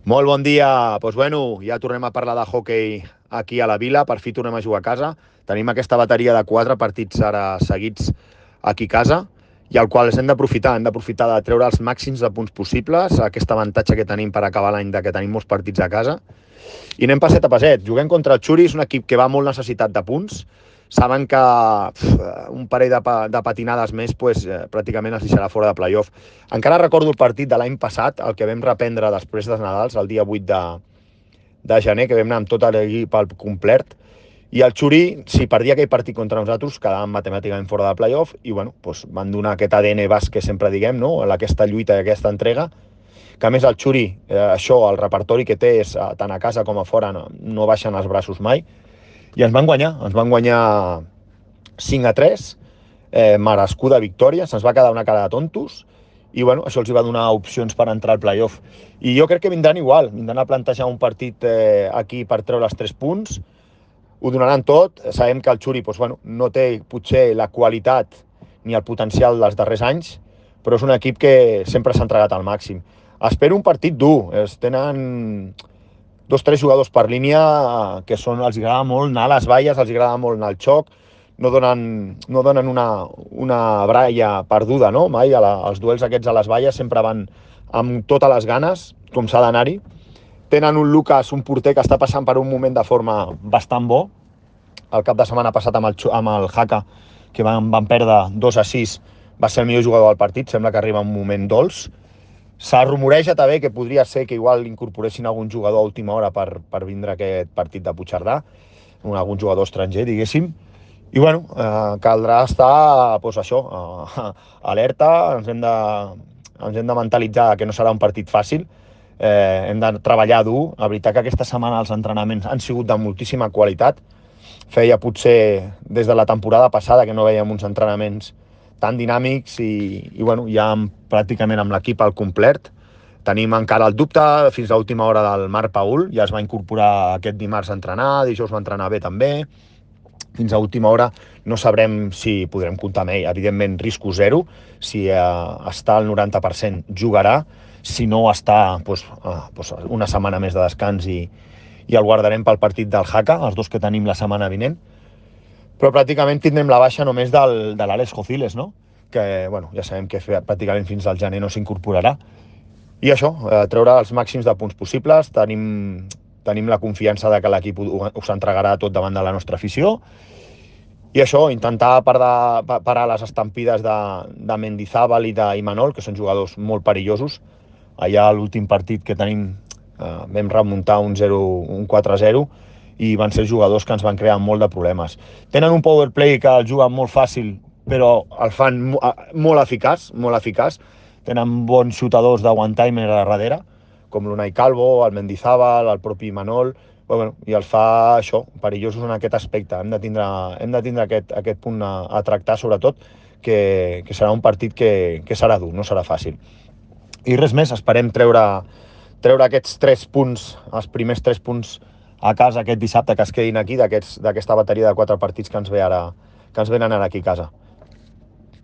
Molt bon dia. Doncs bueno, ja tornem a parlar de hoquei aquí a la Vila. Per fi tornem a jugar a casa. Tenim aquesta bateria de 4 partits ara seguits aquí a casa i al qual hem d'aprofitar. Hem d'aprofitar de treure els màxims de punts possibles, aquest avantatge que tenim per acabar l'any de que tenim molts partits a casa. I anem passet a passet. Juguem contra el Xuri, és un equip que va molt necessitat de punts. Saben que un parell de patinades més pràcticament es deixarà fora de playoff. Encara recordo el partit de l'any passat, el que vam reprendre després dels Nadals, el dia 8 de gener, que vam anar amb tot l'equip al complet, i el Xuri, si perdia aquell partit contra nosaltres, quedàvem matemàticament fora de playoff i van donar aquest ADN basc que sempre diguem, no? Aquesta lluita i aquesta entrega, que a més el Xuri, això, el repertori que té és tant a casa com a fora, no baixen els braços mai, i ens van guanyar 5-3, merescuda victòria, se'ns va quedar una cara de tontos, i això els va donar opcions per entrar al playoff. I jo crec que vindran igual, vindran a plantejar un partit aquí per treure els 3 punts, ho donaran tot, sabem que el Xuri no té potser la qualitat ni el potencial dels darrers anys, però és un equip que sempre s'ha entregat al màxim. Espero un partit dur, tenen 2-3 jugadors per línia que els agrada molt anar a les valles, els agrada molt anar al xoc, no donen una bralla perduda, no? Mai els duels aquests a les valles sempre van amb totes les ganes, com s'ha d'anar-hi. Tenen un Lucas, un porter que està passant per un moment de forma bastant bo. El cap de setmana passat amb el Haka, que van perdre 2-6, va ser el millor jugador del partit, sembla que arriba un moment dolç. S'ha rumoreja també que podria ser que igual incorporessin algun jugador a última hora per vindre aquest partit de Puigcerdà, algun jugador estranger, diguéssim. I caldrà estar, alerta, ens hem de mentalitzar que no serà un partit fàcil, hem de treballar dur. La veritat que aquesta setmana els entrenaments han sigut de moltíssima qualitat. Feia potser des de la temporada passada que no veiem uns entrenaments tan dinàmics i ja pràcticament amb l'equip al complet. Tenim encara el dubte fins a l'última hora del Marc Paul, ja es va incorporar aquest dimarts a entrenar, dijous va entrenar bé també. Fins a última hora no sabrem si podrem comptar amb ell. Evidentment, risco zero. Si està al 90% jugarà, si no està una setmana més de descans i el guardarem pel partit del Haka, els dos que tenim la setmana vinent. Però pràcticament tindrem la baixa només de l'Àlex Jociles, no? Que ja sabem que pràcticament fins al gener no s'incorporarà. I això, treure els màxims de punts possibles. Tenim la confiança de que l'equip us entregarà tot davant de la nostra afició. I això, intentar parar les estampides de Mendizábal i d'Imanol, que són jugadors molt perillosos. Allà a l'últim partit que tenim vam remuntar un 4-0 i van ser jugadors que ens van crear molt de problemes. Tenen un power play que el juguen molt fàcil, però el fan molt eficaç, molt eficaç. Tenen bons xutadors de one-timer a darrere, com l'Unai Calvo, el Mendizábal, el propi Manol, i els fa això, perillosos en aquest aspecte. Hem de tindre aquest punt a tractar, sobretot, que serà un partit que serà dur, no serà fàcil. I res més, esperem treure aquests 3 punts, els primers 3 punts a casa aquest dissabte, que es quedin aquí, d'aquesta bateria de 4 partits que ens venen ara aquí a casa.